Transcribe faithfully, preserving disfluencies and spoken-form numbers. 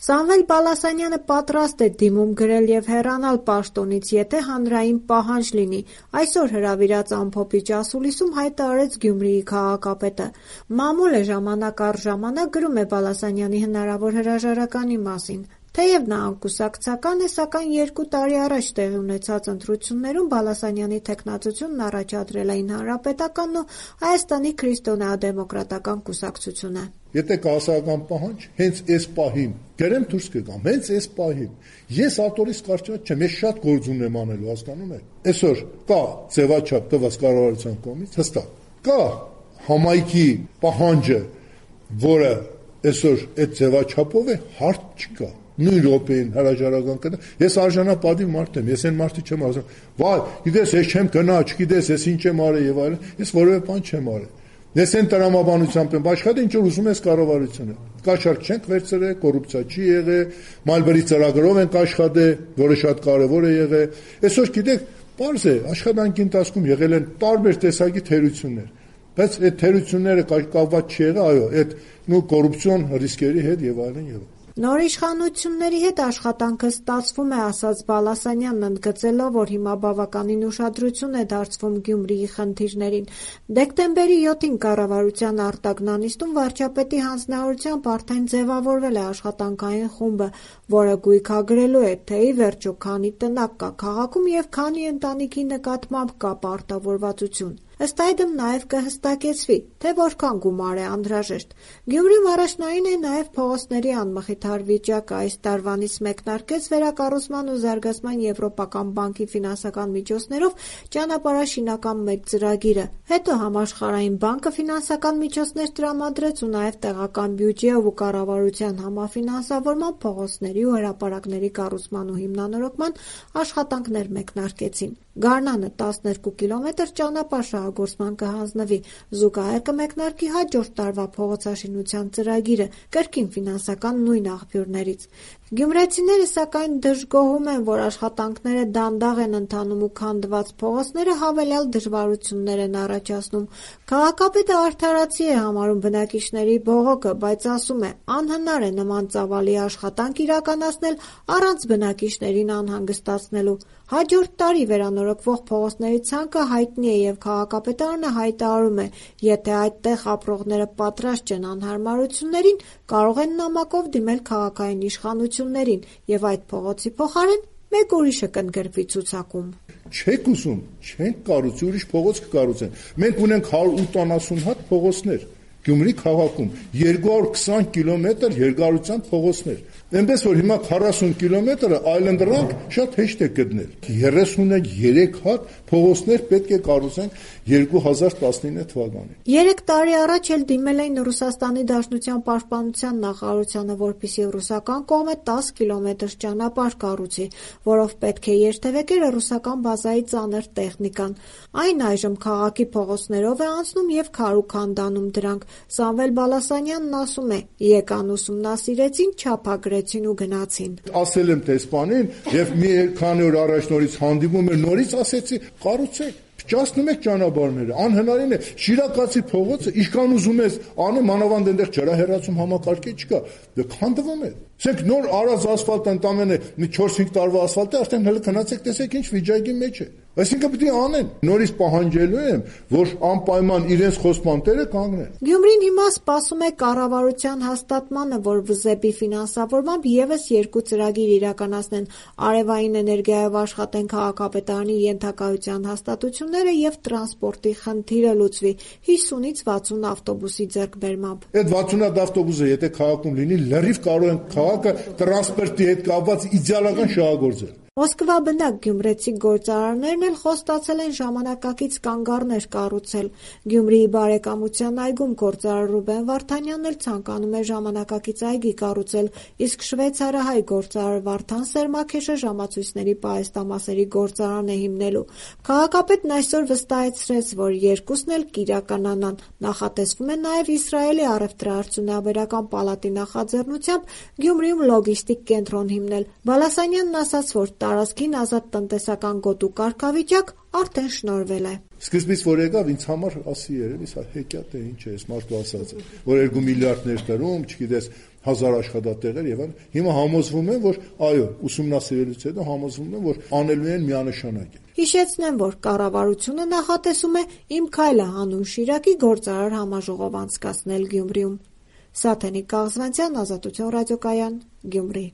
Սամվել Բալասանյանը պատրաստ է դիմում գրել և հեռանալ պաշտոնից, եթե հանրային պահանջ լինի։ Այսօր հրավիրած ամփոփիչ ասուլիսում հայտը արեց Գյումրիի քաղաքապետը։ Մամուլը ժամանակ առ ժամանակ գրում է Բալասանյանի հնարավոր հրաժարականի մասին։ Թեև նա անկուսակցական է, սակայն երկու տարի առաջ տեղի ունեցած ընտրություններում Բալասանյանի թեկնածությունն առաջադրել էին Հանրապետականն ու Հայաստանի քրիստոնեադեմոկրատական կուսակցությունը։ Եթե կա հասարակական պահանջ, հենց այս պահին գրեմ դուրս կգամ, հենց այս պահին։ Ես ատորից կարճած չեմ, ես շատ գործ ունեմ անելու, հասկանում եք։ Այսօր կա ձևաչափ տված կառավարության կողմից, հստակ։ Կա համայնքի պահանջը, որը այսօր այդ ձևաչափով է, հարց չկա։ Նույն րոպեին հրաժարական կտա։ Ես արժանապատիվ մարդ եմ, ես այն մարդը չեմ ասում, վայ, գիտես, ես չեմ գնա, չգիտես, ես ինչ եմ արել եւ այլն, ես որևէ բան չեմ արել։ Ես այն տրամաբանությամբ եմ աշխատել, ինչ որ ուզում ես կառավարությունը։ Կաշառք չենք վերցրել, կոռուպցիա չի եղել, մալբերի ծրագրով ենք աշխատել, որը շատ կարևոր է եղել։ Այսօր գիտեք, պարզ է, աշխատանքի ընթացքում եղել են տարբեր տեսակի թերություններ, բայց այդ թերությունները կապված չի եղել, այո, այդ նույն կոռուպցիոն ռիսկերի հետ եւ այլն եւ այլն։ Նոր իշխանությունների հետ աշխատանքը ստացվում է, ասաց Բալասանյանն, ընդգծելով, որ հիմա բավականին ուշադրություն է դարձվում Գյումրիի խնդիրներին։ Դեկտեմբերի յոթին կառավարության արտագնանիստում վարչապետի հանձնարարությամբ արդեն ձևավորվել է աշխատանքային խումբը, որը գույքագրելու է, թե ի վերջո քանի տնակ կա քաղաքում եւ քանի ընտանիքի նկատմամբ կա պարտավորվածություն։ Ըստ այդմ նաև կհստակեցվի, թե որքան գումար է անհրաժեշտ։ Գյումրիում առաջնային է նաև փողոցների անմխիթար վիճակը։ Այս տարվանից մեկնարկեց վերակառուցման ու զարգացման Եվրոպական բանկի ֆինանսական միջոցներով ճանապարհաշինական մեծ ծրագիրը։ Հետո Համաշխարհային բանկը ֆինանսական միջոցներ տրամադրեց ու նաև տեղական բյուջեով ու կառավարության համաֆինանսավորման փողոցների ու հրապարակների կառուցման ու հիմնանորոգման աշխատանքներ մեկնարկեցին։ Գարնանը տասներկու կիլոմետր ճանապարհ շահագործման կհանձնվի, զուգահեռ կմեկնարկի հաջորդ տարվա փողոցաշինության ծրագիրը կրկին ֆինանսական նույն աղբյուրներից։ Գյումրեցիները սակայն դժգոհում են, որ աշխատանքները դանդաղ են ընթանում ու քանդված փողոցները հավելյալ դժվարություններ են առաջացնում։ Քաղաքապետը արդարացի է համարում բնակիչների բողոքը, բայց ասում է, անհնար է նման ծավալի աշխատանք իրականացնել առանց բնակիչներին անհանգստացնելու։ Հաջորդ տարի վերանորոգվող փողոցների ցանկը հայտնի է եւ քաղաքապետարանը հայտարարում է, եթե այդտեղ ապրողները պատրաստ չեն անհարմարություններին, կարող են նամակով դիմել քաղաքային իշխանություններին եւ այդ փողոցի փոխարեն մեկ ուրիշը կընդգրկվի ցուցակում։ Չեք ուզում, չենք կառուցի, ուրիշ փողոց կկառուցեն։ Մենք ունենք հարյուր ութանասուն հատ փողոցներ Գյումրի քաղաքում, երկու հարյուր քսան կիլոմետր երկարությամբ փողոցներ։ Այնպես որ հիմա քառասուն կիլոմետրը այլընտրանք շատ հեշտ է գտնել։ երեսունյերեք հատ փողոցներ պետք է կառուցենք երկու հազար տասնինը թվականին։ Երեք տարի առաջ էլ դիմել էին Ռուսաստանի Դաշնության պաշտպանության նախարարությանը, որպեսզի ռուսական կողմը տասը կիլոմետր ճանապարհ կառուցի, որով պետք է երթևեկեր ռուսական բազայի ծանր տեխնիկան։ Այն այժմ քաղաքի փողոցներով է անցնում եւ քարուքանդանում դրանք։ Սամվել Բալասանյանն ասում է, եկան ուսումնասիրեցին, չափագրեցին ու գնացին։ Ասել եմ տեսփանին եւ մի քանի օր առաջ նորից հանդիպում էր, նորից ասեցի, կառուցեք։ Ճասնում եք ճանապարհները, անհնարին է։ Շիրակացի փողոցը ինչքան ուզում ես անեմ, մանավանդ այնտեղ ջրահեռացում համակարգի չկա, դե քանդվում է։ Ասենք նոր արած ասֆալտը ընդամենը մի չորս-հինգ տարվա ասֆալտը արդեն հələ քնացեք, տեսեք ինչ վիճակի մեջ է։ Այսինքն պետք է անեն։ Նորից պահանջելու եմ, որ անպայման իրենց խոսման տերը կանգնեն։ Գյումրին հիմա սպասում է կառավարության հաստատմանը, որ վզեպի ֆինանսավորմամբ եւս երկու ծրագիր իրականացնեն՝ արևային էներգիայով աշխատեն քաղաքապետարանի ենթակայության հաստատությունները եւ տրանսպորտի խնդիրը լուծվի հիսունից վաթսուն ավտոբուսի ձեռքբերմամբ։ Այդ վաթսուն ավտոբուսը եթե քաղաքում լինի, լրիվ կարող են քաղաքը տրանսպորտի հետ կապված իդեալական շահագործել։ Մոսկվա բնակ գյումրեցի գործարարներն էլ խոստացել են ժամանակակից կանգառներ կառուցել։ Գյումրիի բարեկամության այգում գործարար Ռուբեն Վարդանյանն էլ ցանկանում է ժամանակակից այգի կառուցել, իսկ շվեյցարահայ գործարար Վարդան Սերմաքեշը ժամացույցների պահեստամասերի գործարան է հիմնելու։ Քաղաքապետն այսօր վստահեցրեց, որ երկուսն էլ կիրականանան։ Նախատեսվում է նաև Իսրայելի առևտրաարդյունաբերական պալատի նախաձեռնությամբ Գյումրիում լոգիստիկ կենտրոն հիմնել։ Բալասանյանն ասաց, որ տարածքին ազատ տնտեսական գոտու կարգավիճակ արդեն շնորհվել է։ Սկզբից որ եկավ ինձ համար ասի երևի սա հեքիաթ է, ինչ է, այս մարդու ասածը, որ երկու միլիարդ ներդրում, չգիտես, հազար աշխատատեղեր եւ այլն։ Հիմա համոզվում են, որ այո, ուսումնասիրելուց հետո համոզվում են, որ անելու են միանշանակ։ Հիշեցնեմ, որ կառավարությունը նախատեսում է «Իմ քայլը» հանուն Շիրակի գործարար համաժողով անցկացնել Գյումրիում։ Սաթենիկ Կաղզվանցյան, Ազատություն ռադիոկայան, Գյումրի։